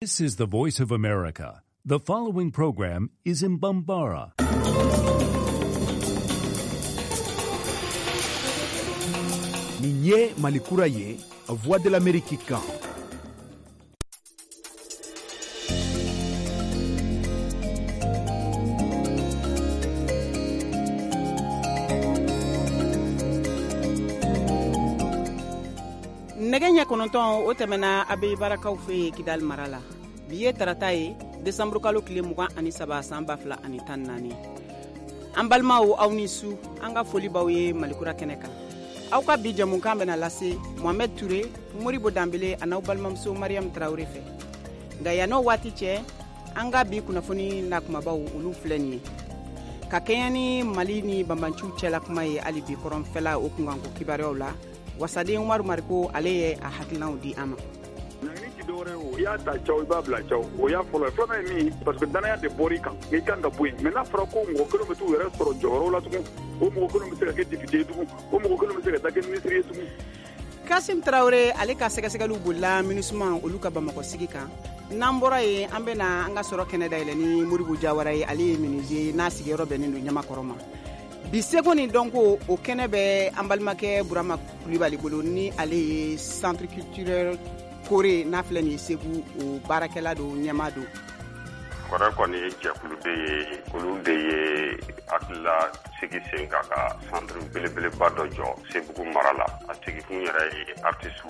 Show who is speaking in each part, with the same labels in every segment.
Speaker 1: This is the Voice of America. The following program is in Bambara.
Speaker 2: Nin ye Mali kura ye, Voix de l'Amérique kan.
Speaker 3: Nɛgɛ ɲɛ 9, o tɛmɛna Abeyi Barakaw fɛ yen Kidali mara la. Bi ye tarata ye, desanburukalo tile 23, san 2014. An balimaw, aw ni su. An ka foli b'aw ye Malikura kɛnɛ kan. Aw ka bi jɛmukan bɛna lase Mohamed Toure, Modibo Danbele an'aw balimamuso Mariam Traore fɛ. Nka yann'o waati cɛ, an ka bi kunnafoni n'a kumabaw, olu filɛ nin ye. Ka kɛɲɛ ni Mali ni banbanciw cɛla kuma ye hali bi kɔrɔnfɛla, o kunkanko kibaruyaw la, wasaden Umaru Mariko, ale ye a hakilinaw di an ma.
Speaker 4: Ɲangini ti dɔwɛrɛ ye o, i y'a ta caw, i b'a bila caw, o y'a fɔlɔ ye. Filanan ye min ye, parce que danaya de bɔr'i kan, i kan ka bɔ yen. Mais n'a fɔra ko mɔgɔ kelen bɛ t'u yɛrɛ sɔrɔ jɔyɔrɔ la tugun, o mɔgɔ kelen bɛ se ka kɛ député ye tugun, o mɔgɔ kelen bɛ se ka taa kɛ ministre ye tugun.
Speaker 3: Kasim Traore, ale ka sɛgɛsɛgɛliw bolila MINUSMA olu ka Bamakɔ sigi kan. N'an bɔra yen, an bɛna an ka sɔrɔ kɛnɛ dayɛlɛ ni Modibo Jawara ye. Ale ye menuisier ye n'a sigiyɔrɔ bɛnnen don Ɲamakɔrɔ ma. Bi seko ni dɔnko, o kɛnɛ bɛ an balimakɛ Burama Kulibali bolo, ni ale ye centre culturel Kore n'a filɛ nin ye Segu, o baarakɛla don, ɲɛmaa don.
Speaker 5: Kɔrɛ kɔni ye jɛkulu de ye, olu de ye hakilila sigi sen kan ka centre belebeleba dɔ jɔ Sebugu mara la. A sigikun yɛrɛ ye artiste.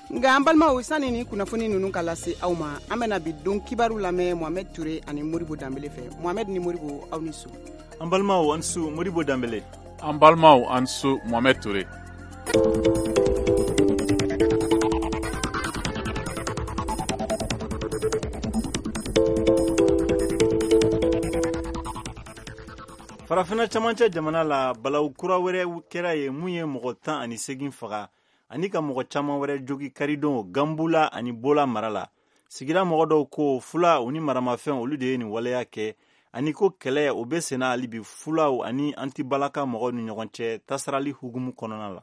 Speaker 3: Nka an balimaw, sani ni kunnafoni ninnu ka lase aw ma, an bɛna bi don kibaru lamɛn Mohamed Toure ani Modibo Danbele fɛ. Mohamed ni Modibo, aw ni su.
Speaker 6: An balimaw, an su Modibo Danbele.
Speaker 7: An balimaw, an su Mohamed Toure.
Speaker 6: Farafina camancɛ jamana la, balawu kura wɛrɛ kɛra ye mun ye mɔgɔ 18 faga ani ka mɔgɔ caman wɛrɛ jogi karidon Ganbula ani Bola mara la. Sigida mɔgɔ dɔw ko fula u ni maramafɛn, olu de ye nin waleya kɛ, ani ko kɛlɛ o bɛ senna hali bi fulaw ani antibalaka mɔgɔw ni ɲɔgɔn cɛ tasarali hukumu kɔnɔna la.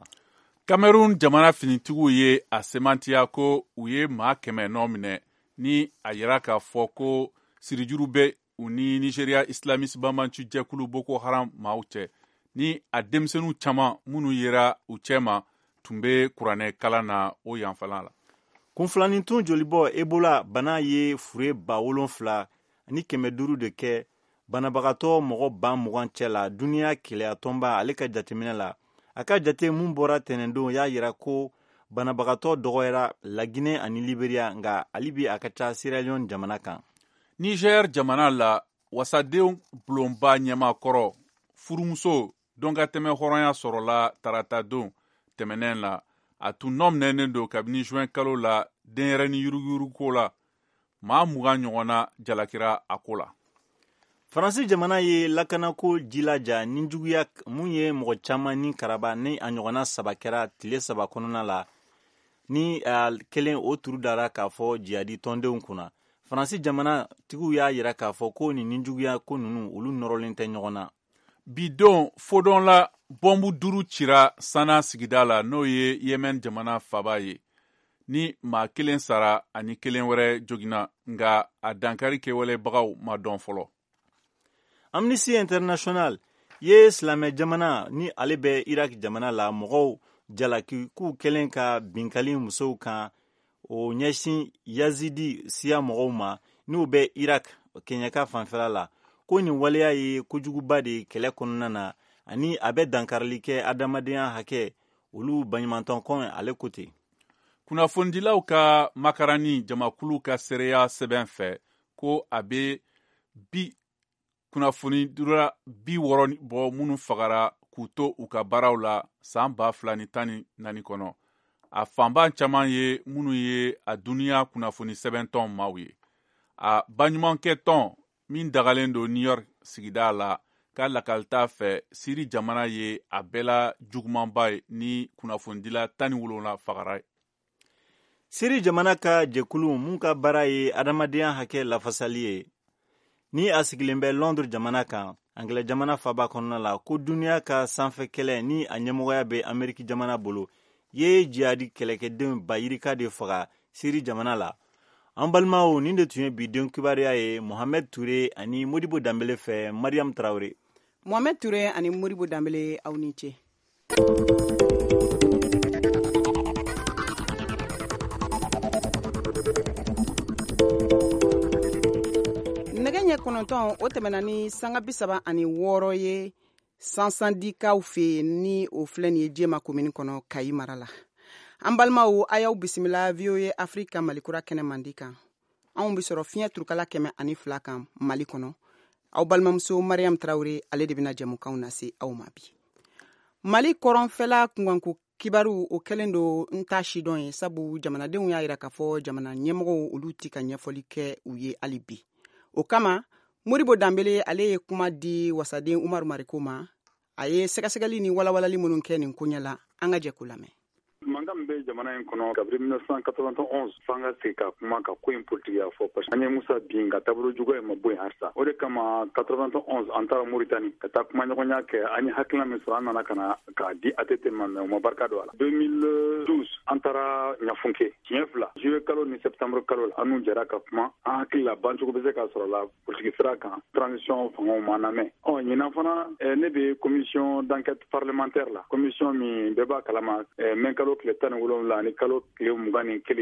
Speaker 7: Cameroun jamana finitigiw ye a semantiya ko u ye maa 100 nɔ minɛ, ni a yira k'a fɔ ko sirijuru bɛ u ni Nigeria islamiste banbanci jɛkulu Boko Haram maaw cɛ, ni a denmisɛnninw caman minnu yera u cɛma tun bɛ kuranɛ kalan na o yanfɛla la.
Speaker 6: Kunfilanitun jolibɔ Ebola bana ye fure 7500 de kɛ banabagatɔ mɔgɔ 20,000 cɛ la duniya keleya tɔnba ale ka jateminɛ la. A ka jate mun bɔra tɛnɛndon y'a yira ko banabagatɔ dɔgɔyara Laginɛ ani Liberia, nka hali bi a ka ca Sierra Leone jamana kan.
Speaker 7: Niger jamana la, wasadenw bulonba ɲɛmaakɔrɔ furumuso dɔn ka tɛmɛ hɔrɔnya sɔrɔla tarata don tɛmɛnɛn la. A tun nɔ minɛnen don kabini juin kalo la denyɛrɛni yuruguyurugu la. Maa 20 ɲɔgɔnna jalakira a ko la.
Speaker 6: Faransi jamana ye lakanako jilaja ni juguya mun ye mɔgɔ caman ni karaba, ni a ɲɔgɔnna saba kɛra tile 3 kɔnɔna la, ni kelen o turu dara k'a fɔ jihadi tɔndenw kunna. Faransi jamana tigiw y'a yira k'a fɔ ko nin nijuguya ko ninnu, olu nɔrɔlen tɛ ɲɔgɔn na.
Speaker 7: Bi don fodɔn la, bɔnbu 5 cira Sana sigida la, n'o ye Yemen jamana faba ye, ni maa kelen sara ani kelen wɛrɛ joginna, nka a dankari kɛwalebagaw ma dɔn fɔlɔ.
Speaker 6: Amnesty International ye silamɛ jamana ni ale bɛ Irak jamana la mɔgɔw jalaki k'u kɛlen ka binkali musow kan o ɲɛsin Yazidi siya mɔgɔw ma n'u bɛ Irak kɛɲɛka fanfɛla la, ko nin waleya ye kojuguba de ye kɛlɛ kɔnɔna na, ani a bɛ dankarili kɛ adamadenya hakɛ olu baɲumantɔnkɔn, ale ko ten.
Speaker 7: Kunnafonidilaw ka makarani jamakulu ka seereya sɛbɛn fɛ ko a bɛ bi kunnafonidila 60 bɔ minnu fagara k'u to u ka baaraw la san 2014 kɔnɔ. A fanba caman ye minnu ye a duniya kunnafoni sɛbɛntɔn maaw ye. A baɲumankɛ tɔn min dagalen don New York sigida la ka lakalita fɛ, Siri jamana ye a bɛɛ la jugumanba ye ni kunnafonidila 17 fagara ye.
Speaker 6: Siri jamana ka jɛkulu mun ka baara ye adamadenya hakɛ lafasali ye, ni a sigilen bɛ Londres jamana kan, Angilɛ jamana faba kɔnɔna la, ko duniya ka sanfɛ kɛlɛ ni a ɲɛmɔgɔya bɛ Ameriki jamana bolo ye jihadi kɛlɛkɛdenw ba yirika de faga Siri jamana la. An balimaw, nin de tun ye bi don kibaruya ye Mohamed Touré ani Modibo Danbele fɛ. Mariam Traoré.
Speaker 3: Mohamed Touré ani Modibo Danbele, aw ni ce. Nɛgɛ ɲɛ 9, o tɛmɛna ni sanga 36 ye Sansandikaw fɛ yen, ni o filɛ nin ye Jema komini kɔnɔ, Kayi mara la. An balimaw, a y'aw bisimila VOA Afrique Malikura kɛnɛ mandi kan. Anw bɛ sɔrɔ fiɲɛ turukala 102 kan Mali kɔnɔ. Aw balimamuso Mariam Tarawele, ale de bɛna jɛmukanw lase aw ma bi. Mali kɔrɔnfɛla kunkanko kibaru, o kɛlen don n ta sidɔn ye, sabu jamanadenw y'a yira k'a fɔ jamana ɲɛmɔgɔw, olu ti ka ɲɛfɔli kɛ u ye hali bi. O kama, Modibo Danbele, ale ye kuma di wasaden Umaru Mariko ma. A ye sɛgɛsɛgɛli ni walawalali minnu kɛ nin koɲɛ la, an ka jɛ k'o lamɛn.
Speaker 4: Mankan min bɛ jamana in kɔnɔ kabini 1991, f'an ka sigi ka kuma ka ko in politigiya fɔ, parce que an ye Musa bin ka taabolo juguya in ma bɔ yen halisa. O de kama 91, an taara Moritani ka taa kumaɲɔgɔnya kɛ. An ye hakilina min sɔrɔ, an nana ka na k'a di ATT ma, mais u ma barika don a la. 2012, an taara Ɲafunke siɲɛ fila, juillet kalo ni septembre kalo la. An n'u jɛra ka kuma. An hakili la, bancogo bɛ se ka sɔrɔ la politiki sira kan. Transition fangaw ma lamɛn. Ɔ ɲinan fana, ne bɛ commission d'enquête parlementaire la, commission min bɛɛ b'a kalama, mɛ kalo tile 17 ani kalo tile 21,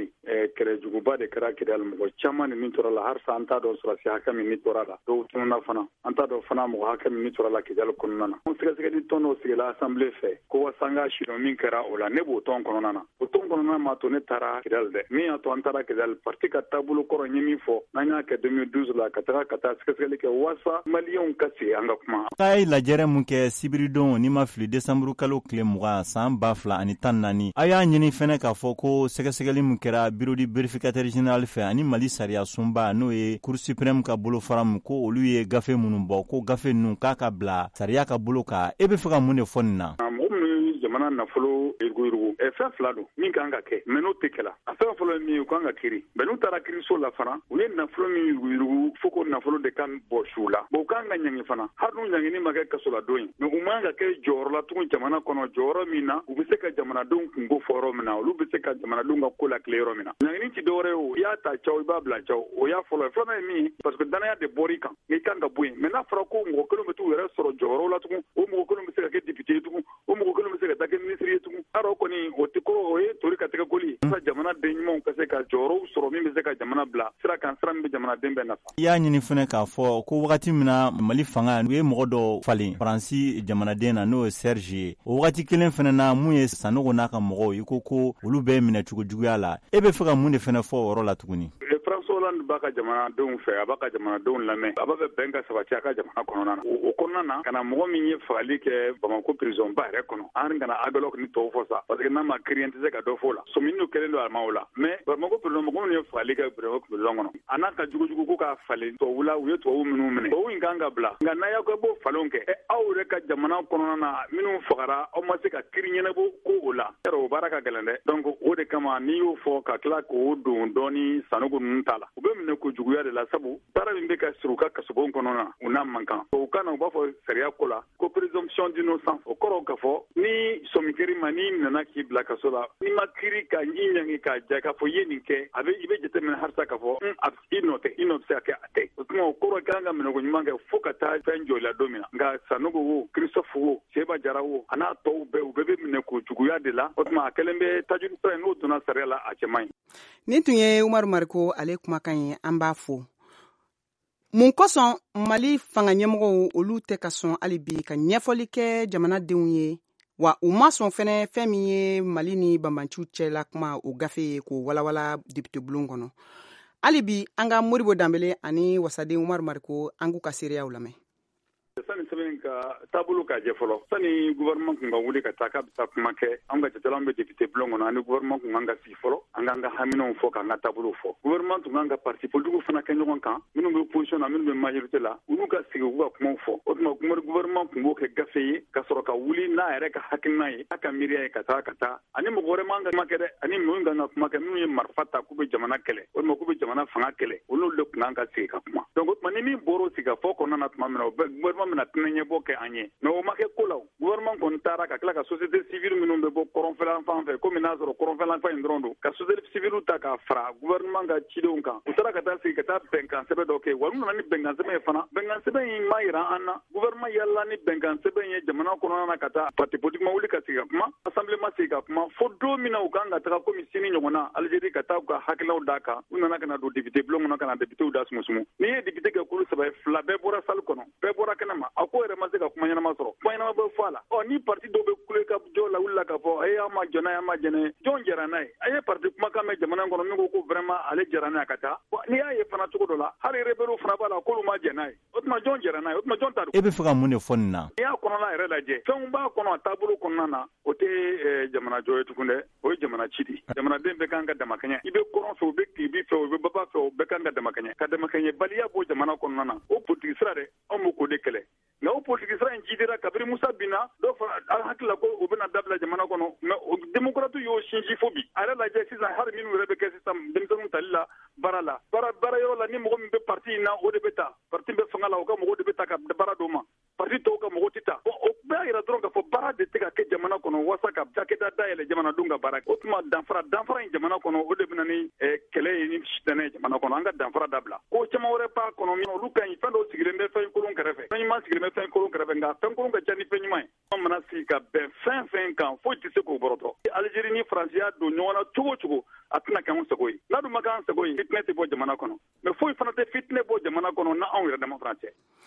Speaker 4: kɛlɛjuguba de kɛra Kidali. Mɔgɔ caman ni min tora la, halisa an t'a dɔn sɔrɔsi hakɛ min ni tora la. Dɔw tununa fana. An t'a dɔn fana mɔgɔ hakɛ min ni tora la Kidali kɔnɔna na. Sɛgɛsɛgɛli tɔn dɔ sigila assemblée fɛ ko walasa an ka sidɔn min kɛra o la. Ne b'o tɔn kɔnɔna na. O tɔn kɔnɔna ma to ne taara Kidali dɛ. Min y'a to an taara Kidali, parti ka taabolo kɔrɔ ye min fɔ, n'an y'a kɛ 2012 la, ka taga ka taa sɛgɛsɛgɛli kɛ walasa maliyɛnw ka sigi an ka kuma.
Speaker 6: A ye lajɛrɛ mun kɛ sibiridon, n'i ma fili, desanburu kalo tile 20 san 2014, a y'a ɲini fɛnɛ k'a fɔ ko sɛgɛsɛgɛli min kɛra bureau du vérificateur général fɛ ani Mali sariya sunba, n'o ye Cour suprême ka bolofara min, ko olu ye gafe minnu bɔ, ko gafe ninnu k'a ka bila sariya ka bolo kan. E bɛ fɛ ka mun de fɔ nin na?
Speaker 4: Mɔgɔ minnu ye jamana nafolo yuruguyurugu, fɛn fila don min kan ka kɛ, mais n'o tɛ kɛla. A fɛn fɔlɔ ye min ye, u kan ka kiri. Mais n'u taara kiriso la fana, u ye nafolo min yuruguyurugu, fo ko nafolo de kan bɔ su la. Bon, u kan ka ɲangi fana, hali n'u ɲangini ma kɛ kasoladon ye, mais u man ka kɛ jɔyɔrɔ la tugun jamana kɔnɔ, jɔyɔrɔ min na u bɛ se ka jamanadenw kunko fɔ yɔrɔ min na, olu bɛ se ka jamanadenw ka ko lakile yɔrɔ min na. Ɲangini ti dɔwɛrɛ ye o, i y'a ta caw, i b'a bila caw. O y'a fɔlɔ ye. Filanan ye min ye, parce que danaya de bɔr'i kan, i kan ka bɔ yen. Mais n'a fɔra ko mɔgɔ kelen bɛ t'u yɛrɛ sɔrɔ jɔyɔrɔ la tugun, o mɔgɔ kelen bɛ se ka kɛ député ye tugun, o mɔgɔ kelen bɛ se ka taa kɛ ministre ye tugun, yarɔ kɔni o tɛ ko, o ye tori ka tɛgɛ koli ye. Jamana den ɲumanw ka se ka jɔyɔrɔw sɔrɔ min bɛ se ka jamana bila sira kan, sira min bɛ jamanaden bɛɛ nafa.
Speaker 6: I y'a ɲini fɛnɛ k'a fɔ ko wagati min na Mali fanga, u ye mɔgɔ dɔ falen Faransi jamanaden na, n'o ye Serge ye, o wagati kelen fɛnɛ na, mun ye Sanogo n'a ka mɔgɔw, i ko ko olu bɛ minɛ cogo juguya la. E bɛ fɛ ka mun de fɛnɛ fɔ o yɔrɔ la tuguni?
Speaker 4: François Hollande b'a ka jamanadenw fɛ, a b'a ka jamanadenw lamɛn, a b'a fɛ bɛn ka sabati a ka jamana kɔnɔna na. O kɔnɔna na, ka na mɔgɔ min ye fagali kɛ Bamako prison ba yɛrɛ kɔnɔ, an kana Aguelhok ni tɔw fɔ sa, parce que n'a ma kiiri, an tɛ se ka dɔ fɔ o la. Sɔmini dɔ kɛlen don a ma o la. Mais Bamako prison, mɔgɔ minnu ye fagali kɛ Bamako prison kɔnɔ, a n'a ka jugujugu ko k'a falen tubabu la, u ye tubabu minnu minɛ, tubabu in kan ka bila. Nka n'a y'aw kɛ b'o falenw kɛ, aw yɛrɛ ka jamana kɔnɔna na, minnu fagara, aw ma se ka kiiri ɲɛnabɔ ko o la, yarɔ o baara ka gɛlɛn dɛ. Donc o de kama, n'i y'o fɔ ka tila k'o don dɔɔni Sanogo ninnu ta la, u bɛ minɛ ko juguya de la, sabu baara min bɛ ka siri u ka kasobon kɔnɔ na, u n'a man kan. O kan na, u b'a fɔ sariya ko la ko présomption d'innocence. O kɔrɔ k'a fɔ ni sɔmi kɛr'i ma, n'i nana k'i bila kaso la, n'i ma kiiri ka i ɲangi k'a ja k'a fɔ i ye nin kɛ, a bɛ i bɛ jateminɛ halisa k'a fɔ i nɔ tɛ, i nɔ bɛ se ka kɛ a tɛ. O tuma, o kɔrɔ kan ka minɛko ɲuman kɛ fo ka taa fɛn jɔ i la don min na. Nka Sanogo wo, Christophe wo, Seba Jara wo, a n'a tɔw bɛɛ, u bɛɛ bɛ minɛ ko juguya de la. O tuma, a kɛlen bɛ tajuru sira ye, n'o donna sariya la, a cɛ man ɲi.
Speaker 3: Nin tun ye Umaru Mariko ale kumakan ye. An b'a fo. Mun kosɔn Mali fanga ɲɛmɔgɔw, olu tɛ ka sɔn hali bi ka ɲɛfɔli kɛ jamanadenw ye, wa u ma sɔn fɛnɛ fɛn min ye Mali ni banbanciw cɛla kuma, o gafe ye, k'o walawala député bulon kɔnɔ hali bi? An ka Modibo Danbele ani wasaden Umaru Mariko, an k'u ka seereyaw lamɛn.
Speaker 4: Sani sɛbɛn ka taabolo k'a jɛ fɔlɔ, sani gouvernement kun ka wuli ka taa k'a bɛ taa kuma kɛ, an ka jatela, an bɛ député bulon kɔnɔ, ani gouvernement kun kan ka sigi fɔlɔ, an k'an ka haminaw fɔ, k'an ka taabolo fɔ. Gouvernement tun kan ka parti politique fana kɛ ɲɔgɔn kan, minnu bɛ opposition na, minnu bɛ majorité la, olu ka sigi, u ka kumaw fɔ. O tuma, gouvernement tun b'o kɛ gafe ye ka sɔrɔ ka wuli n'a yɛrɛ ka hakilina ye, n'a ka miiriya ye, ka taa ka taa ani mɔgɔ wɛrɛ man ka kuma kɛ dɛ, ani minnu kan ka kuma kɛ, minnu ye marifa ta k'u bɛ jamana kɛlɛ walima k'u bɛ jamana fanga kɛlɛ, olu de tun kan ka sigi ka kuma. Donc o tuma, ni min bɔra o sigikafɔ kɔnɔna na tuma min na, o bɛ gouvernement bɛna tɛnɛ. fitinɛ ɲɛbɔ kɛ an ye. Mais o ma kɛ ko la. Gouvernement kɔni taara ka tila ka société civile minnu bɛ bɔ kɔrɔnfɛlan fan fɛ, komi n'a sɔrɔ kɔrɔnfɛlan fan in dɔrɔn don, ka société civile ta k'a fara gouvernement ka cidenw kan. U taara ka taa sigi ka taa bɛnkan sɛbɛn dɔ kɛ. Wa n'u nana ni bɛnkan sɛbɛn ye fana, bɛnkan sɛbɛn in ma yira an na. Gouvernement yalala ni bɛnkan sɛbɛn ye jamana kɔnɔna na ka taa parti politique ma wuli ka sigi ka kuma, assemblée ma sigi ka kuma, fo don min na u kan ka taga komi sini ɲɔgɔnna Algérie ka taa u ka hakililaw d'a kan. U nana ka na don député bulon kɔnɔ ka na députéw da sumusumu. N'i ye député kɛ kulu saba ye, fila bɛɛ bɔra salle kɔnɔ, bɛɛ bɔra kɛnɛ ma. A ko yɛrɛ ma se ka kuma ɲɛnama sɔrɔ, kuma ɲɛnama bɛ fɔ a la. Ɔ, ni parti dɔw bɛ kule ka jɔ la wuli la k'a fɔ e, an ma jɔn n'a ye, an ma jɛnɛ, jɔn jɛra n'a ye? A ye parti kumakan mɛn jamana kɔnɔ min ko ko vraiment ale jɛra n'a ye ka taa. N'i y'a ye fana cogo dɔ la, hali rebelle fana b'a la k'olu ma jɛn n'a ye. O tuma, jɔn jɛra n'a ye? O tuma, jɔn ta don?
Speaker 6: E bɛ fɛ ka mun de fɔ nin na?
Speaker 4: N'i y'a kɔnɔna yɛrɛ lajɛ, fɛnw b'a kɔnɔ, a taabolo kɔnɔna na, o tɛ jamana jɔ ye tugun dɛ, o ye jamana ci de. Jamanaden bɛɛ kan ka damakɛɲɛ. I bɛ kɔrɔn fɛ, u bɛ tilebin fɛ, u bɛ baba fɛ, o bɛɛ kan ka damakɛɲɛ. Ka damakɛɲɛ baliya bɔ jamana kɔnɔna na, o politiki sira dɛ, anw b'o k'o de kɛlɛ. Nka o politiki sira in jidira kabini Musa binna. Dɔw fana an hakili la ko o bɛna dabila jamana kɔnɔ, mais o démocrate y'o sinsin fo bi. A yɛrɛ lajɛ sisan, hali minnu yɛrɛ bɛ kɛ sisan denmisɛnninw tali la baara la, baara yɔrɔ la, ni mɔgɔ min bɛ parti in na, o de bɛ ta. Parti bɛ fanga la, o ka mɔgɔw de bɛ ta ka baara d'o ma, parti tɔw ka mɔgɔw tɛ ta. Bon, o bɛɛ yira dɔrɔn k'a fɔ baara de tɛ ka kɛ jamana kɔnɔ walasa ka cakɛda dayɛlɛ jamanadenw ka baara kɛ. O tuma, danfara in jamana kɔnɔ, o de bɛ na ni kɛlɛ ye ni sitanɛ ye jamana kɔnɔ. An ka danfara dabila. Ko caman wɛrɛ b'a kɔnɔ min olu ka ɲi. Fɛn dɔw sigilen bɛ fɛn kolon kɛrɛfɛ, fɛn ɲuman sigilen bɛ fɛn kolon kɛrɛfɛ, nka fɛn kolon ka ca ni fɛn ɲuman ye. An mana sigi ka bɛn fɛn fɛn kan, foyi tɛ se k'o bɔrɔtɔ. Algérie ni Faransi y'a don ɲɔgɔn na cogo o cogo, a tɛna kɛ anw sago ye. N'a dun ma kɛ an sago ye, fitinɛ tɛ bɔ jamana kɔnɔ. Mais foyi fana tɛ fitinɛ bɔ jamana kɔnɔ na anw yɛrɛ dama fana cɛ.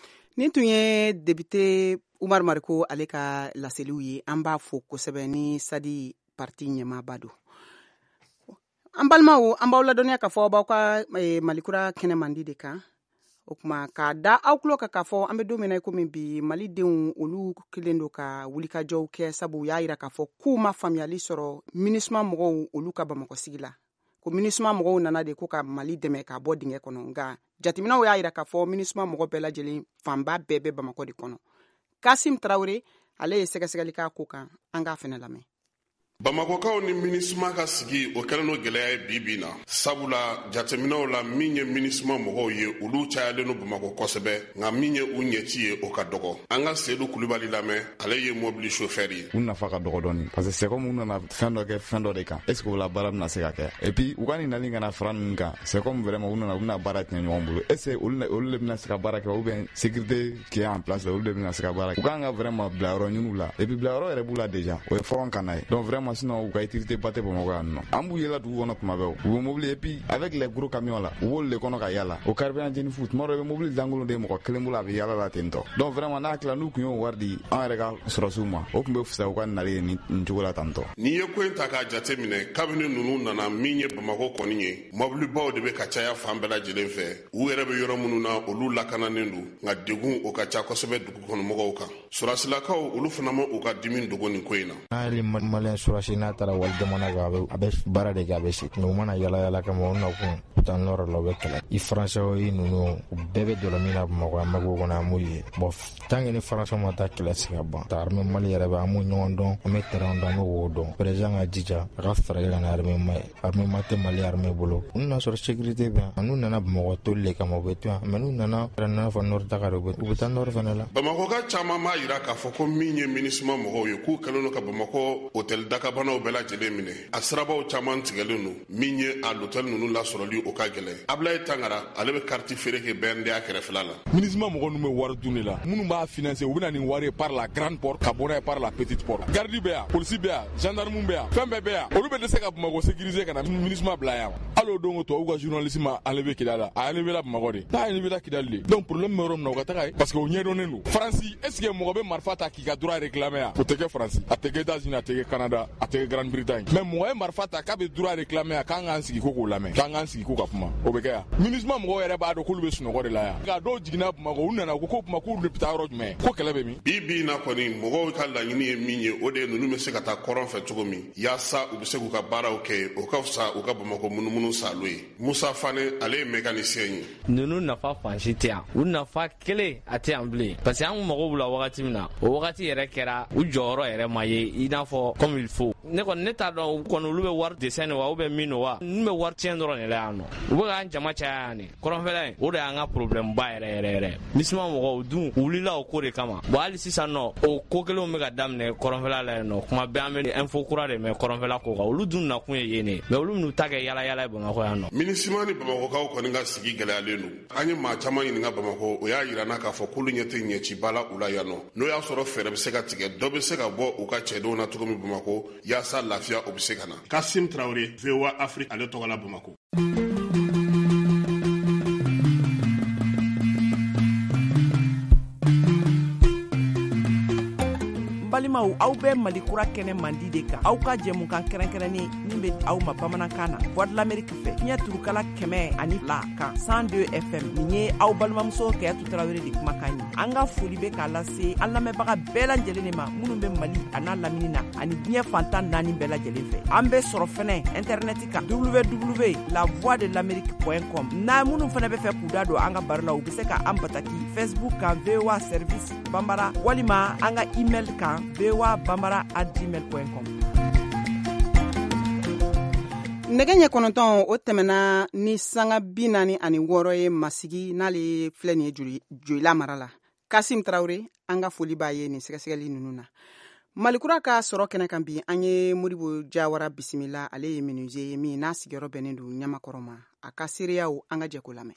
Speaker 3: Nin tun ye député Umar Mariko ale ka laseliw ye. An b'a fo kosɛbɛ ni Sadi parti ɲɛmaaba don. An balimaw, an b'aw ladɔnniya k'a fɔ aw b'aw ka Malikura kɛnɛ mandi de kan. O kuma k'a da aw tulo kan k'a fɔ an bɛ don min na i komi bi, malidenw olu kelen don ka wulikajɔw kɛ, sabu u y'a yira k'a fɔ k'u ma faamuyali sɔrɔ MINUSMA mɔgɔw olu ka Bamakɔ sigi la, ko MINUSMA mɔgɔw nana de ko ka Mali dɛmɛ k'a bɔ dingɛ kɔnɔ. Nka jateminɛw y'a yira k'a fɔ MINUSMA mɔgɔ bɛɛ lajɛlen fanba bɛɛ bɛ Bamakɔ de kɔnɔ. Kasim Tarawele, ale ye sɛgɛsɛgɛli k'a ko kan, an k'a fɛnɛ lamɛn.
Speaker 8: Bamakɔkaw ni MINUSMA ka sigi, o kɛlen no gwɛlɛya ye bi bi na, sabula jateminɛw la, min ye MINUSMA mɔgɔw ye, olu cayalen no Bamakɔ kosɛbɛ, nka min ye u ɲɛci ye, o ka dɔgɔ. An ka Sedu Kulubali lamɛn, ale ye mobili chauffeur ye.
Speaker 9: U nafa ka dɔgɔ dɔɔni, parce que c'est comme u nana fɛn dɔ kɛ fɛn dɔ de kan. Est ce que o la baara bɛna se ka kɛ? Et puis u ka nin nali ka na fara ninnu kan, c'est comme vraiment u nana, u bɛna baara tiɲɛ ɲɔgɔn bolo. Est ce que olu de bɛna se ka baara kɛ, ou bien sécurité qui est en place, olu de bɛna se ka baara kɛ? U kan ka vraiment bila yɔrɔ ɲini la, et puis bila yɔrɔ yɛrɛ b'u la déjà, o ye front kana ye. Donc vraiment, sinon u ka utilité ba tɛ Bamakɔ yan nɔ. An b'u yela dugu kɔnɔ tuma bɛɛ, u bɛ mobili, et puis avec les gros camions là, u b'olu de kɔnɔ ka yala, o carburant jeni fu. Tuma dɔ, i bɛ mobili lankolon de ye mɔgɔ kelen bolo, a bɛ yala la ten tɔ. Donc vraiment, n'a tila n'u tun y'o wari di an yɛrɛ ka sɔrɔsiw ma, o tun bɛ fisaya u ka nali ye nin cogo la tan tɔ.
Speaker 8: N'i ye ko in ta k'a jate minɛ, kabini ninnu nana, min ye Bamakɔ kɔni ye, mɔbilibaw de bɛ ka caya fan bɛɛ lajɛlen fɛ. U yɛrɛ bɛ yɔrɔ minnu na, olu lakananen don, nka degun o ka ca kosɛbɛ dugu kɔnɔmɔgɔw kan. Sɔrɔsilakaw, olu fana ma u ka dimi dogo nin ko in na.
Speaker 10: N'ale maliyɛn surasi n'a taara wali jamana kan, a bɛ baara de kɛ, a bɛ segin. U mana yala yala kama, u nakun u taa nɔrɔ la, u bɛ kɛlɛ. I faransɛ i ninnu, u bɛɛ bɛ dɔlɔ min na Bamakɔ, an mako kɔnɔ, an b'u ye. Bon, tant que ni faransɛ ma taa, kɛlɛ se ka ban. Ta armée Mali yɛrɛ bɛ, an b'u ɲɔgɔn dɔn, an bɛ terrain dɔn, an bɛ wo dɔn. Président ka jija a ka fɛɛrɛ kɛ ka na armée ma ye. Armée ma tɛ Mali armée bolo. N'u n'a sɔrɔ sécurité bɛ yan, n'u nana Bamakɔ toli de kama, u bɛ to yan. Mais n'u nana n'a fɔ nord taga de, u bɛ taa nord fana la.
Speaker 8: Bamakɔka caman b'a yira k'a fɔ ko min ye MINUSMA mɔgɔw ye, k'u kɛlen don ka Bamakɔ hôtel dakabanaw bɛɛ lajɛlen minɛ. A sirabaw caman tigɛlen don, min ye a l'hôtel ninnu lasɔrɔli, o ka gɛlɛn. Abulaye Tangara, ale bɛ carte feere kɛ BNDA kɛrɛfɛla la.
Speaker 11: MINUSMA mɔgɔ ninnu bɛ wari dun de la. Minnu b'a financer, u bɛ na nin wari ye par la grande porte, ka bɔ n'a ye par la petite porte. Garde bɛ yan, polisi bɛ yan, gendarme bɛ yan, fɛn bɛɛ bɛ yan. Olu bɛ dɛsɛ ka Bamakɔ sécuriser ka na MINUSMA bila yan. Hali o don ko tubabu ka journaliste ma enlevé Kidal la, a enlevé la Bamakɔ de, n'a enlevé la Kidal de. Donc problème bɛ yɔrɔ min na, u ka taga yen, parce que o ɲɛdɔnnen don. Faransi, est ce que mɔgɔ bɛ marifa ta k'i ka droit réclamer yan? O tɛ kɛ Faransi, a tɛ kɛ États-Unis, a tɛ kɛ Canada, a tɛ kɛ Grande-Bretagne. Mais mɔgɔ ye marifa ta k'a bɛ droit réclamer yan, k'an k'an sigi ko k'o lamɛn, k'an k'an sigi ko ka kuma, o bɛ kɛ yan? MINUSMA mɔgɔw yɛrɛ b'a dɔn k'olu bɛ sunɔgɔ de la yan. Nka dɔw jiginna Bamakɔ, u nana ko ko kuma k'olu bɛ taa yɔrɔ jumɛn, ko kɛlɛ bɛ min?
Speaker 8: Bi bi in na kɔni, mɔgɔw ka laɲini ye min ye, o de ye ninnu bɛ se ka taa kɔrɔn fɛ cogo min, yaasa u bɛ se k'u ka baaraw kɛ. O ka fisa u ka Bamakɔ munumunu salo ye. Musa Fane, ale ye mécanicien ye.
Speaker 12: Ninnu nafa fan si tɛ yan, u nafa kelen a tɛ yan bilen, parce que an mago b'u la wagati min na, o wagati yɛrɛ kɛra u jɔyɔrɔ yɛrɛ ma ye i n'a fɔ comme il faut. ko ne kɔni ne t'a dɔn kɔni olu bɛ wari desɛn de wa ou bien min don wa, ninnu bɛ wari tiɲɛ dɔrɔn de la yan nɔ. U bɛ k'an jama caya yan de, kɔrɔnfɛla in o de y'an ka problème ba yɛrɛ yɛrɛ yɛrɛ. MINUSMA mɔgɔw dun u wulila o ko de kama. Bon hali sisan nɔ o ko kelenw bɛ ka daminɛ kɔrɔnfɛla la yen nɔ, kuma bɛɛ an bɛ info kura de mɛn kɔrɔnfɛla ko kan. Olu dun nakun ye yen de, mais olu minnu ta kɛ yala yala ye Bamakɔ yan nɔ.
Speaker 8: MINUSMA ni Bamakɔkaw kɔni ka sigi gɛlɛyalen don. An ye maa caman ɲininka Bamakɔ, o y'a yira n na k'a fɔ k'olu ɲɛ tɛ ɲɛciba la u la yan nɔ. N'o y'a sɔrɔ fɛɛrɛ bɛ se ka tigɛ, dɔ bɛ se ka bɔ u ka cɛdenw na cogo min Bamakɔ, yaasa lafiya o bɛ se ka na.
Speaker 13: Kasim Traoré, VOA Afrique, ale tɔgɔ la Bamakɔ.
Speaker 14: Balimaw, aw bɛ Mali kura kɛnɛ mandi de kan, aw ka jɛmukan kɛrɛnkɛrɛnnen min bɛ aw ma bamanankan na, Voix de l'Amérique fɛ, fiɲɛ turukala 102 kan, 102 FM. Nin ye aw balimamuso Kayatu Tarawele de kumakan ye. An ka foli bɛ k'a lase an lamɛnbaga bɛɛ lajɛlen de ma minnu bɛ Mali a n'a lamini na ani diɲɛ fantan naani bɛɛ lajɛlen fɛ. An bɛ sɔrɔ fɛnɛ intɛrɛnɛti kan, www.lavoixdel'amérique.com. N'a minnu fɛnɛ bɛ fɛ k'u da don an ka baro la, u bɛ se ka an bataki Facebook kan, VOA service Bambara, walima an ka email kan, voabambara@gmail.com.
Speaker 3: Nɛgɛ ɲɛ 9 o tɛmɛna ni sanga 46 ye Masigi, n'ale filɛ nin ye Joyila mara la. Kasim Tarawele, an ka foli b'a ye nin sɛgɛsɛgɛli ninnu na. Malikura ka sɔrɔ kɛnɛ kan bi, an ye Modibo Jawara bisimila. Ale ye menuisier ye min n'a sigiyɔrɔ bɛnnen don Ɲamakɔrɔ ma. A ka seereyaw, an ka jɛ k'o lamɛn.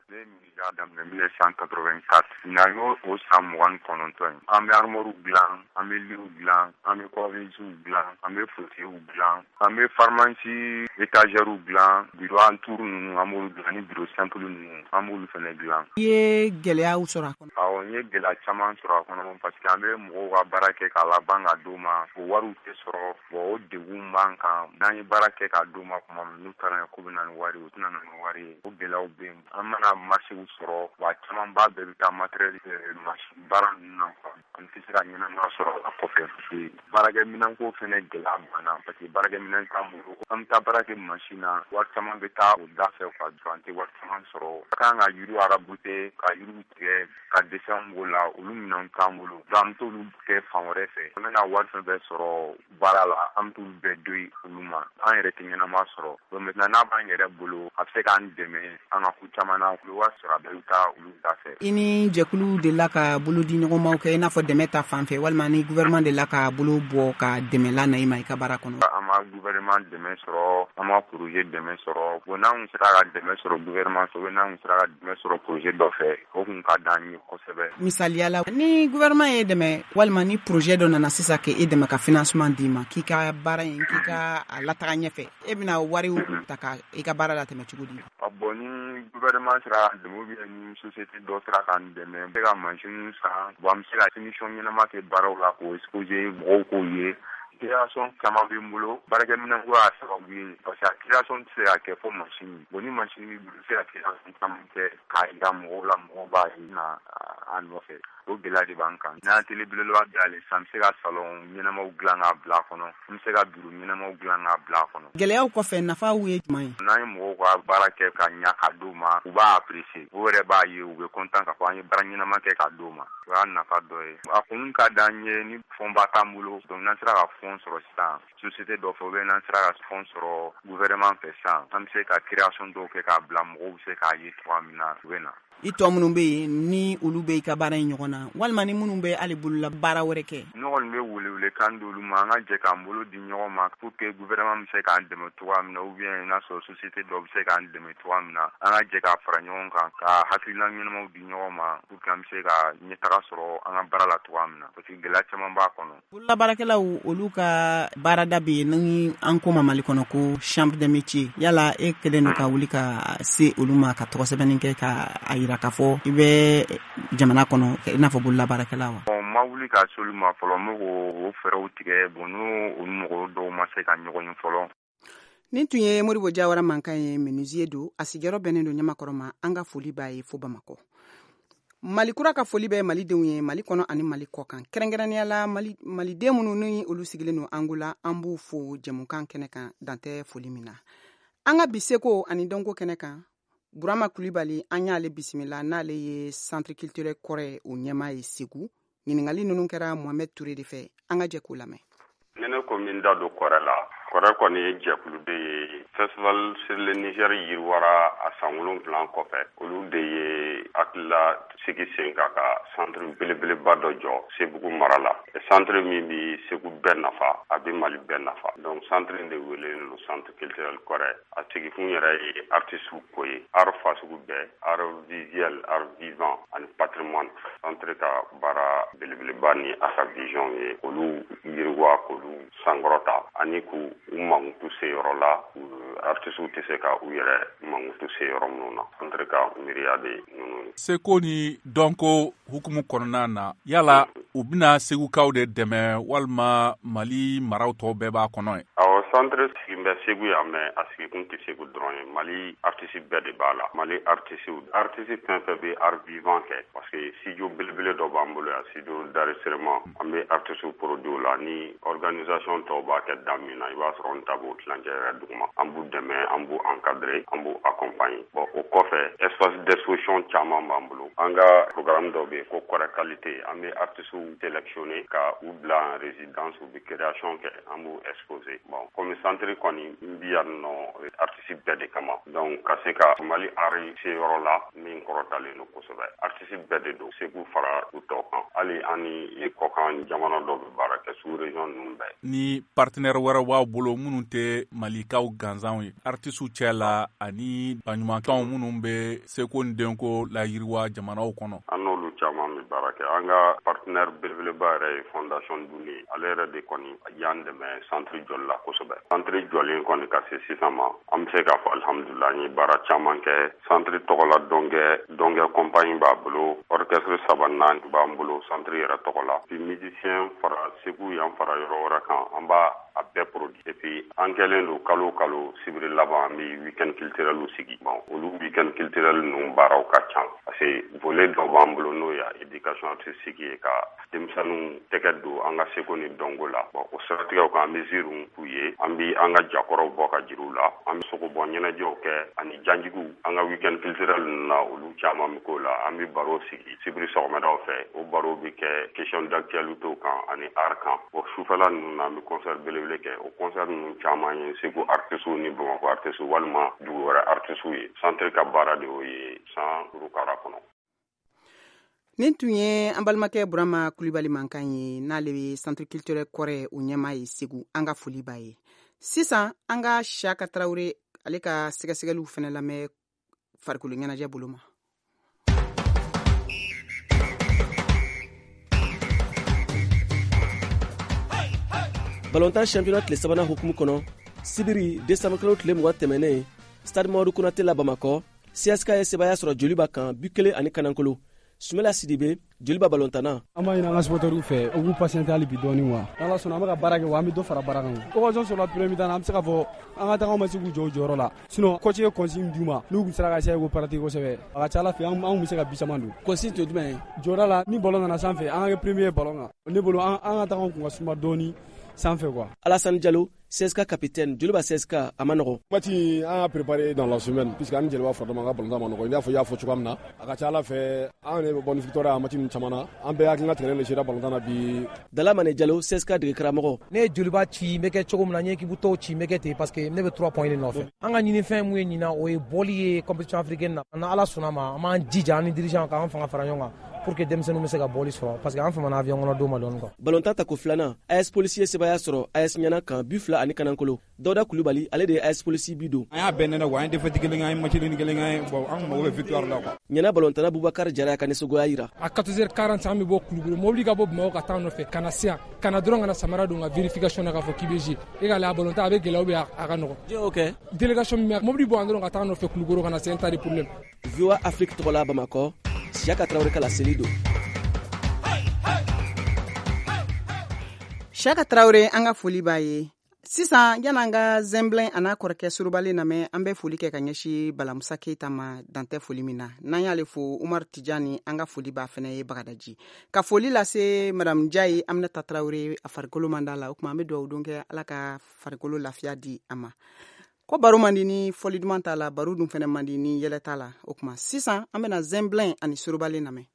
Speaker 5: Ne ye menuisier daminɛ 1984, ɲinan y'o o san 29 ye. An bɛ armoire dilan, an bɛ litw dilan, an bɛ coiffeusew dilan, an bɛ fauteuilw dilan, an bɛ pharmacie étagèrew dilan, bureau en tour ninnu an b'olu dilan, ni bureau simple ninnu an b'olu fana dilan.
Speaker 3: I ye gɛlɛyaw sɔrɔ a kɔnɔ?
Speaker 5: Awɔ, n ye gɛlɛya caman sɔrɔ a kɔnɔ, parce que an bɛ mɔgɔw ka baara kɛ k'a laban ka d'u ma, o wariw tɛ sɔrɔ. Bon, o degun b'an kan. N'an ye baara kɛ k'a d'u ma tuma min, n'u taara k'u bɛ na ni wari ye, u tɛna na ni wari ye. O gɛlɛyaw bɛ yen. An mana marché sɔrɔ, wa camanba bɛɛ bɛ taa matériel machine baara ninnu na quoi. An tɛ se ka ɲɛnama sɔrɔ a kɔfɛ, parce que baarakɛminɛnko fɛnɛ gɛlɛya banna, parce que baarakɛminɛn t'an bolo. An bɛ taa baara kɛ machine na, wari caman bɛ taa o da fɛ quoi, an tɛ wari caman sɔrɔ. Ka kan ka yiriw raboter, ka yiriw tigɛ, ka dessin b'o la, olu minɛnw t'an bolo. Donc an bɛ t'olu kɛ fan wɛrɛ fɛ. An bɛna wari fɛn fɛn sɔrɔ baara la, an bɛ t'olu bɛɛ don olu ma. An yɛrɛ tɛ ɲɛnama sɔrɔ. Donc maintenant n'a b'an yɛrɛ bolo, a bɛ se k'an dɛmɛ an ka ko caman na. U bɛ wari sɔrɔ, a bɛɛ bɛ taa olu da fɛ.
Speaker 3: I ni jɛkulu delila ka bolo di ɲɔgɔnmaw kɛ, i n'a fɔ dɛmɛ ta fan fɛ, walima ni gouvernement delila ka bolo bɔ ka dɛmɛ la na i ma i ka baara kɔnɔ?
Speaker 5: An ma gouvernement dɛmɛ sɔrɔ, an ma projet dɛmɛ sɔrɔ. Bon, n'an kun sera ka dɛmɛ sɔrɔ gouvernement fɛ, n'an kun sera ka dɛmɛ sɔrɔ projet dɔ fɛ, o kun ka d'an ye kosɛbɛ.
Speaker 3: Misaliya la, ni gouvernement ye dɛmɛ walima ni projet dɔ nana sisan k'e dɛmɛ ka financement d'i ma, k'i ka baara in, k'i ka a lataga ɲɛfɛ, e bɛna wariw ta ka i ka baara latɛmɛ cogo di?
Speaker 5: Bon, ni gouvernement sera k'an dɛmɛ ou bien ni société dɔ sera k'an dɛmɛ, an bɛ se ka machine san. Bon, an bɛ se ka finition ɲɛnama kɛ baaraw la, k'o exposer mɔgɔw k'o ye. Création caman bɛ n bolo, baarakɛminɛnko y'a sababu ye, parce que a création tɛ se ka kɛ fo machine. Bon, ni machine b'i bolo, i bɛ se ka création caman kɛ k'a yira mɔgɔw la, mɔgɔw b'a ye na a nɔfɛ. O gɛlɛya de b'an kan. N'an atelier belebeleba dayɛlɛ sisan, an bɛ se ka salon ɲɛnamaw dilan k'a bila a kɔnɔ, an bɛ se ka bureau ɲɛnamaw dilan k'a bila a kɔnɔ.
Speaker 3: Gɛlɛyaw kɔfɛ, nafaw ye jumɛn ye?
Speaker 5: N'an ye mɔgɔw ka baara kɛ ka ɲa ka d'u ma, u b'a apprécier, u yɛrɛ b'a ye, u bɛ content k'a fɔ an ye baara ɲɛnama kɛ k'a d'u ma. O y'a nafa dɔ ye. A kun ka d'an ye ni fond ba t'an bolo, donc n'an sera ka fond sɔrɔ sisan société dɔ fɛ, ou bien n'an sera ka fond sɔrɔ gouvernement fɛ sisan, an bɛ se ka création dɔw kɛ k'a bila, mɔgɔw bɛ se k'a ye cogoya min na, u bɛ na.
Speaker 3: I tɔ minnu bɛ yen, ni olu bɛ i ka baara in ɲɔgɔn na, walima ni minnu bɛ hali bolola baara wɛrɛ kɛ?
Speaker 5: Ne kɔni bɛ welewelekan d'olu ma, an ka jɛ k'an bolo di ɲɔgɔn ma pour que gouvernement bɛ se k'an dɛmɛ cogoya min na, ou bien n'a sɔrɔ société dɔ bɛ se k'an dɛmɛ cogoya min na, an ka jɛ k'a fara ɲɔgɔn kan, ka hakilina ɲɛnamaw di ɲɔgɔn ma pour que an bɛ se ka ɲɛtaga sɔrɔ an ka baara la cogoya min na, parce que gɛlɛya caman b'a kɔnɔ.
Speaker 3: Bololabaarakɛlaw, olu ka baarada bɛ yen ni an ko ma Mali kɔnɔ ko chambre des métiers. Yala e kɛlen don ka wuli ka se olu ma ka tɔgɔ sɛbɛnni kɛ ka a yira k'a fɔ i bɛ jamana kɔnɔ i n'a fɔ bololabaarakɛla wa?
Speaker 5: Bon, n ma wuli ka se olu ma fɔlɔ, n bɛ k'o fɛɛrɛw tigɛ. Bon, n'o olu mɔgɔ dɔw ma se ka ɲɔgɔn ye fɔlɔ.
Speaker 3: Nin tun ye Modibo Jawara mankan ye, menuisier don, a sigiyɔrɔ bɛnnen don Ɲamakɔrɔ ma. An ka foli b'a ye fo Bamakɔ. Mali kura ka foli bɛ malidenw ye Mali kɔnɔ ani Mali kɔ kan, kɛrɛnkɛrɛnnenya la maliden minnu ni olu sigilen don Angola, an b'u fo jɛmukan kɛnɛ kan, dantɛ foli min na. An ka bi seko ani dɔnko kɛnɛ kan, Burama Kulibali, an y'ale bisimila, n'ale ye centre culturel kɔrɔ ye, o ɲɛmaa ye Segu. Ɲininkali ninnu kɛra Mohamed Touré de fɛ, an ka jɛ k'o lamɛn.
Speaker 5: Ni ne ko min da don Kɔrɛ la, Kɔrɛ kɔni ye jɛkulu de ye. Festival sur le Niger yiriwara a san 7 kɔfɛ. Olu de ye hakilila sigi sen kan ka centre belebeleba dɔ jɔ Sebugu mara la. Centre min bɛ Segu bɛɛ nafa, a bɛ Mali bɛɛ nafa. Donc centre in de welelen don centre culturel Kɔrɛ. A sigikun yɛrɛ ye artistes ko ye, art fasugu bɛɛ, art visuel, art vivant ani patrimoine. Centre ka baara belebeleba ni a ka vision ye olu yiriwa, k'olu sankɔrɔta ani k'u mankutu se yɔrɔ la artistes tɛ se ka u yɛrɛ mankutu se yɔrɔ minnu na. Centre ka miiriya de ninnu ye.
Speaker 7: Seko ni dɔnko hukumu kɔnɔna na, yala u bɛna Segukaw de dɛmɛ walima Mali maraw tɔw bɛɛ b'a kɔnɔ ye?
Speaker 5: Awɔ, centre sigin bɛ Segu yan, mais a sigikun tɛ Segu dɔrɔn ye. Mali artiste bɛɛ de b'a la. Mali artiste fɛn fɛn bɛ art vivant kɛ, parce que studio belebele dɔ b'an bolo yan, studio d'enregistrement. An bɛ artiste produit la ni organisation tɔw b'a kɛ da min na, i b'a sɔrɔ n ta b'o tilancɛ yɛrɛ duguma. An b'u dɛmɛ, an b'u encadrer, an b'u accompagner. Bon, o kɔfɛ espace d'exposition caman b'an bolo. An ka programme dɔ bɛ yen ko Kɔrɛ qualité. An bɛ artistes sélectionner ka u bila en résidence, u bɛ création kɛ, an b'u exposer. Bon, comme centre kɔni n bi yan nɔ artiste bɛɛ de kama. Donc ka se ka Mali art se yɔrɔ la min kɔrɔtalen don kosɛbɛ. Artiste bɛɛ de don, Segu fara u tɔw kan. Hali an ni kɔkan jamana dɔw bɛ baara kɛ, sous région ninnu bɛɛ.
Speaker 7: Ni partenaire wɛrɛw b'aw bolo minnu tɛ Malikaw gansanw ye, artistes cɛ la ani baɲumankɛw minnu bɛ seko ni denko layiriwa jamanaw kɔnɔ?
Speaker 5: An n'olu caman bɛ baara kɛ. An ka partenaire belebeleba yɛrɛ ye Fondation Duni. Ale yɛrɛ de kɔni y'an dɛmɛ centre jɔli la kosɛbɛ. Centre jɔlen kɔni ka se sisan ma, an bɛ se k'a fɔ alhamdulillah, an ye baara caman kɛ. Centre tɔgɔ la dɔnkɛ compagnie b'a bolo, orchestre 3 4 b'an bolo centre yɛrɛ tɔgɔ la. Puis musicien fara Segu yan fara yɔrɔ wɛrɛ kan, an b'a a bɛɛ produit. Et puis an kɛlen don kalo kalo sibiri laban an bɛ week-end culturel sigi. Bon, olu week-end culturel ninnu baaraw ka ca, parce que volet dɔ b'an bolo n'o ye éducation artistique ye, ka denmisɛnninw tɛgɛ don an ka seko ni dɔnko la. Bon, o siratigɛw kan an bɛ ziiriw k'u ye, an bɛ an ka jakɔrɔw bɔ ka jiriw la, an bɛ sogobɔ ɲɛnajɛw kɛ ani janjigiw. An ka week-end culturel ninnu na, olu caman bɛ k'o la. An bɛ baro sigi sibiri sɔgɔmadaw fɛ, o baro bɛ kɛ question d'actualité kan ani art kan. Bon, sufɛla ninnu na an bɛ concert belebele kɛ. O concert ninnu caman ye Segu artistes ni Bamakɔ artistes walima dugu wɛrɛ artistes ye. Centre ka baara de y'o ye san 5 kɔnɔ.
Speaker 3: Nin tun ye an balimakɛ Burama Kulibali mankan ye, n'ale bɛ centre culturel Kɔrɛ o ɲɛmaa ye Segu. An ka foli b'a ye. Sisan an ka Siyaka Tarawele ale ka sɛgɛsɛgɛliw fana lamɛn farikolo ɲɛnajɛ bolo ma.
Speaker 15: Balontan championnat tile sabanan hukumu kɔnɔ, sibiri décembre kalo tile 20 tɛmɛnen, stade Mamadu Konate la Bamakɔ, CSK ye sebaaya sɔrɔ Joliba kan 1-1. Sumela Sidibe, Joliba balontana.
Speaker 16: An b'a ɲini an ka supporteriw fɛ, u k'u patienter hali bi dɔɔni wa. N'Ala sɔnna an bɛ ka baara kɛ wa an bɛ dɔ fara baara kan. Occasion sɔrɔla premier mi-temps na, an bɛ se k'a fɔ an ka tagaw ma se k'u jɔ u jɔyɔrɔ la. Sinon coach ye consigne d'u ma, n'u tun sera ka essayer k'o pratiquer kosɛbɛ, a ka ca Ala fɛ an tun bɛ se ka bi caman don.
Speaker 15: Consigne tun ye jumɛn ye?
Speaker 16: Jɔda la, ni ballon nana sanfɛ, an ka kɛ premier ye ballon kan. Ne bolo an ka tagaw tun ka suma dɔɔni sanfɛ quoi.
Speaker 15: Alassane Diallo, CSK capitaine, Joliba CSK, a ma nɔgɔn.
Speaker 17: Match an y'a préparé dans la semaine puisque an ni Joliba fara an ka ballon ma nɔgɔn. I n'a fɔ i y'a fɔ cogoya min na, a ka ca Ala fɛ an yɛrɛ bɛ bɔ ni victoire ye a match ninnu caman na. An bɛɛ hakilina tigɛlen de sera ballon na bi.
Speaker 15: Dalamane Diallo, CSK dege karamɔgɔ.
Speaker 18: Ne ye Joliba ci n bɛ kɛ cogo min na, n ye équipe tɔw ci n bɛ kɛ ten parce que ne bɛ 3 points de nɔfɛ. An ka ɲinifɛn mun ye ɲinan, o ye bɔli ye compétition africaine na. Ni Ala sɔnna ma, an b'an jija an ni dirigeant k'an fanga fara ɲɔgɔn kan pour que denmisɛnninw bɛ se ka bɔli sɔrɔ, parce que an famana avion kɔnɔ don ma dɔɔni quoi.
Speaker 15: Balontan tako filanan, AS Police ye sebaaya sɔrɔ AS Ɲana kan 2-1. Dawuda Kulubali, ale de ye AS Police bi don.
Speaker 19: An y'a bɛɛ nɛnɛ quoi, an ye défaite kelen kɛ, an ye match nul kelen kɛ, bon an mago bɛ victoire la quoi.
Speaker 15: Ɲana balontana Bubakar Jara ka nisɔngoya yira.
Speaker 20: À 14h40 an bɛ bɔ Kulukoro, mobili ka bɔ Bamakɔ ka taa nɔfɛ ka na se yan, ka na dɔrɔn ka na samara don ka vérification na k'a fɔ k'i bɛ jouer. E k'a lajɛ a balontan a bɛ gɛlɛya ou bien a ka nɔgɔn.
Speaker 15: Jɔn y'o kɛ?
Speaker 20: Délégation min bɛ mobili bɔ yan dɔrɔn ka taa nɔfɛ Kulukoro ka na se un tas de problème.
Speaker 15: VOA Afrique tɔgɔ la Bamakɔ, Siyaka Tarawele ka laseli don.
Speaker 3: Siyaka Tarawele, an ka foli b'a ye. Sisan yan'an ka Zɛnbilɛn a n'a kɔrɔkɛ Surubalen lamɛn, an bɛ foli kɛ ka ɲɛsin Balamusa Keyita ma dantɛ foli min na. N'an y'ale fo, Umar Tijani, an ka foli b'a fɛnɛ ye Bagadaji. Ka foli lase Madame Jayi Aminata Tarawele, a farikolo man d'a la, o tuma an bɛ dugawu don kɛ Ala ka farikolo lafiya di a ma. Ko baro man di ni fɔli duman t'a la, baro dun fɛnɛ man di ni yɛlɛ t'a la. O tuma sisan an bɛna Zɛnbilɛn ani Surubalen lamɛn.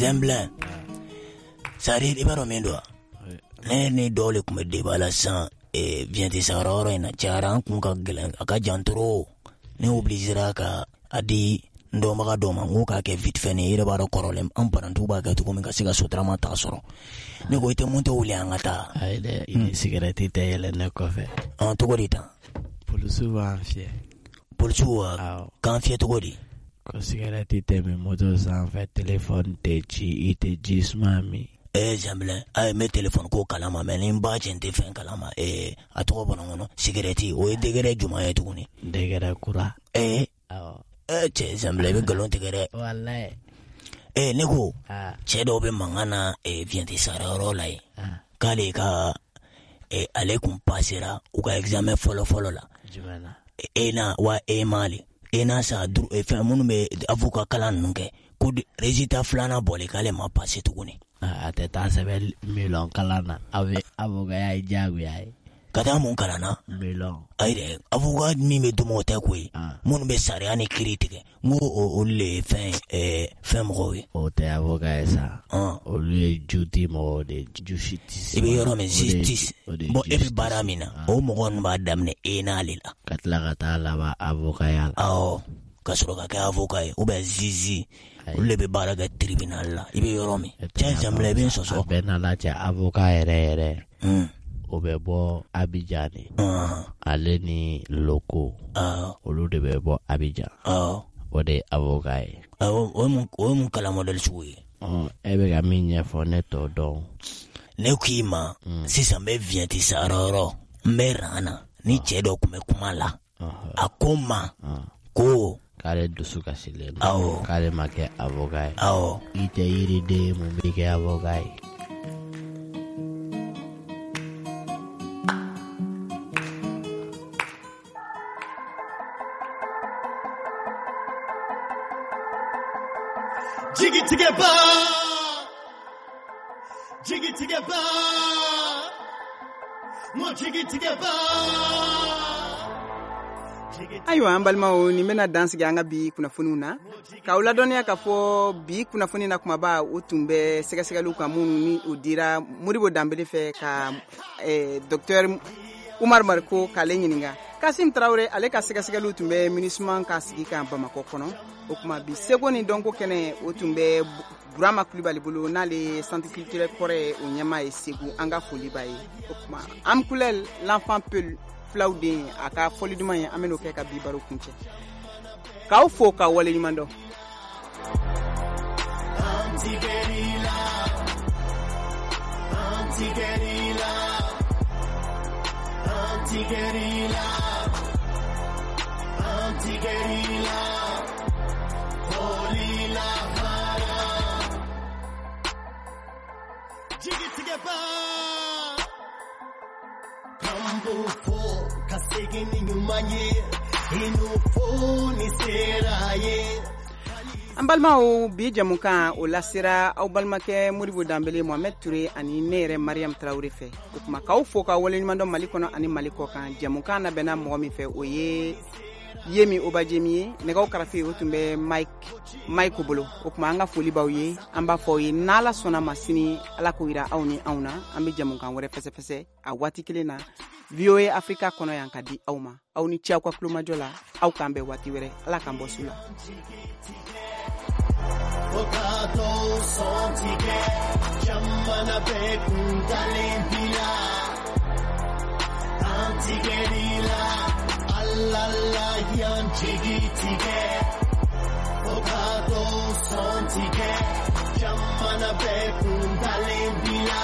Speaker 21: Zɛnbilɛn, c'est-à-dire i b'a dɔn min don wa? Ne ni dɔw de tun bɛ débat la sisan viɲɛti sahara yɔrɔ in na. Cayara, an kun ka gɛlɛn, a ka jan trop. Ne obligera ka a di n dɔnbaga dɔw ma, n ko k'a kɛ vite fait. Ni i yɛrɛ b'a dɔn, kɔrɔlen an parantiw b'a kɛ cogo min ka se ka sotarama ta sɔrɔ. Ne ko i tɛ moto wuli, an ka taa.
Speaker 22: Ayi dɛ, i ni sigɛrɛti tɛ yɛlɛ ne kɔfɛ.
Speaker 21: Ɔn, cogo di tan?
Speaker 22: Polisiw b'an fiyɛ.
Speaker 21: Polisiw wa? K'an fiyɛ cogo di?
Speaker 22: Ko sigɛrɛti tɛ min moto sanfɛ, telefɔni tɛ ci, i tɛ ji suma min.
Speaker 21: Ee Zanbilɛn, ayi, n bɛ telefɔni ko kalama, mais ni n ba cɛ, n tɛ fɛn kalama. Ee, a tɔgɔ bɔra n kɔnɔ, sigɛrɛti, o ye degré jumɛn ye tuguni?
Speaker 22: Degré kura.
Speaker 21: Ee cɛ Zanbilɛn, i bɛ nkalon tigɛ dɛ.
Speaker 22: Walayi.
Speaker 21: Ee, ne ko cɛ dɔw bɛ mankan na viɲɛti sara yɔrɔ la yen, k'ale ka ale kun pasera u ka examen fɔlɔ fɔlɔ la.
Speaker 22: Jumɛn na?
Speaker 21: ENA wa EMA le, ENA sa fɛn minnu bɛ avocat kalan ninnu kɛ, ko résultat filanan bɔlen, k'ale ma passer tuguni.
Speaker 22: A tɛ taa sɛbɛn milɔn kalan na, aw bɛ avocat ye diyagoya ye.
Speaker 21: Ka taa mun kalan na?
Speaker 22: Milɔn.
Speaker 21: Ayi dɛ, avocat min bɛ d'u ma, o tɛ koyi. Minnu bɛ sariya ni kiiri tigɛ, n ko olu le ye fɛn fɛn mɔgɔw ye.
Speaker 22: O tɛ avocat ye sa. Olu ye juti mɔgɔw de ye, justice.
Speaker 21: I bɛ yɔrɔ min, justice. Bon, e bɛ baara min na, o mɔgɔ ninnu b'a daminɛ ENA le la.
Speaker 22: Ka tila ka taa laban avocat ya la.
Speaker 21: Awɔ, ka sɔrɔ ka kɛ avocat ye ou bien juge. Olu de bɛ baara kɛ tribunal la, i bɛ yɔrɔ min. Cɛ Zanbilɛ, i bɛ n sɔsɔ.
Speaker 22: A bɛɛ n'Ala cɛ, avocat yɛrɛ yɛrɛ, o bɛ bɔ Abidjan de. Ale ni Loko, olu de bɛ bɔ Abidjan. O de ye avocat ye.
Speaker 21: O ye mun kalan modèle sugu ye?
Speaker 22: E bɛ ka min ɲɛfɔ, ne t'o dɔn.
Speaker 21: Ne k'i ma, sisan n bɛ viɲɛti sara yɔrɔ, n bɛ ran na ni cɛ dɔ tun bɛ kuma la. A ko n ma ko
Speaker 22: k'ale dusu kasilen don.
Speaker 21: Awɔ.
Speaker 22: K'ale ma kɛ avocat ye.
Speaker 21: Awɔ.
Speaker 22: I tɛ yiriden ye, mun b'i kɛ avocat ye?
Speaker 23: Jigi tigɛba, jigi tigɛba, mo jigi tigɛba.
Speaker 3: Ayiwa, an balimaw, nin bɛna dan sigi an ka bi kunnafoniw na, k'aw ladɔnniya k'a fɔ bi kunnafoni na kumaba, o tun bɛ sɛgɛsɛgɛliw kan minnu ni o dira Modibo Danbele fɛ ka docteur Umar Mariko k'ale ɲininka. Kasim Tarawele, ale ka sɛgɛsɛgɛliw tun bɛ MINUSMA ka sigi kan Bamakɔ kɔnɔ. O tuma bi seko ni dɔnko kɛnɛ, o tun bɛ Burama Kulibali bolo, n'ale ye centre culturel kɔrɔ ye, o ɲɛmaa ye Segu. An ka foli b'a ye. O tuma Amkulɛl, l'enfant Peul, fulaw den, a ka fɔli duman ye, an bɛn'o kɛ ka bi baro kuncɛ. K'aw fo k'aw waleɲuman dɔn.
Speaker 23: Anti-guérilla, anti-guérilla, anti-guérilla, anti-guérilla, holy la hara. Jigi tigɛba, k'an b'o fɔ ka segin ni ɲuman ye, i n'o fɔ ni sera ye.
Speaker 3: An balimaw, bi jamukan o lasera aw balimakɛ Modibo Danbele, Mohamed Touré ani ne yɛrɛ Mariam Traoré fɛ. O tuma k'aw fo k'aw waleɲuman dɔn Mali kɔnɔ ani Mali kɔ kan. Jamukan labɛnna mɔgɔ min fɛ, o ye Yemi Obajemi ye. Nɛgɛw karafe, o tun bɛ Mike bolo. O tuma an ka foli b'aw ye, an b'a fɔ aw ye n'Ala sɔnna ma, sini, Ala k'o yira aw ni anw na, an bɛ jamukan wɛrɛ fɛsɛfɛsɛ a waati kelen na VOA Africa kɔnɔ yan ka di aw ma. Aw ni ce aw ka kulomajɔ la, aw k'an bɛn waati wɛrɛ. Ala k'an bɔ su la.
Speaker 23: Fo ka dɔw sɔn tigɛ, jamana bɛɛ kun dalen b'i la. An tigɛr'i la, Ala la y'an jigi tigɛ. Fo ka dɔw sɔn tigɛ, jamana bɛɛ kun dalen b'i la.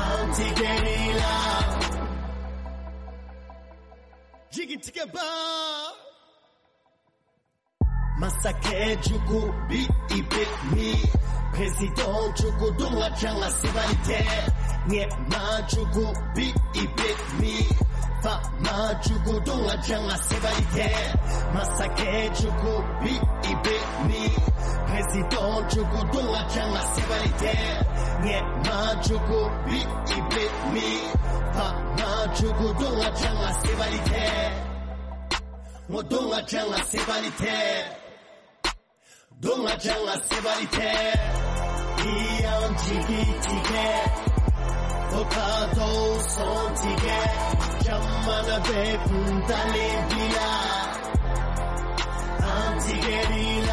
Speaker 23: An tigɛr'i la. Jigi tigɛba. Masakɛ jugu bi i bɛ min? Président jugu dun ka can ka sebali tɛ. Ɲɛmaa jugu bi i bɛ min? Faama jugu dun ka can ka sebali tɛ. Masakɛ jugu bi i bɛ min? Président jugu dun ka can ka sebali tɛ. Ɲɛmaa jugu bi i bɛ min? Faama jugu dun ka can ka sebali tɛ. N ko don ka can ka sebali tɛ. Don ka ca nka sebali tɛ. I y'an jigi tigɛ. Fo ka dɔw sɔn tigɛ. Jamana bɛɛ kuntalen b'i la. An tigɛr'i la.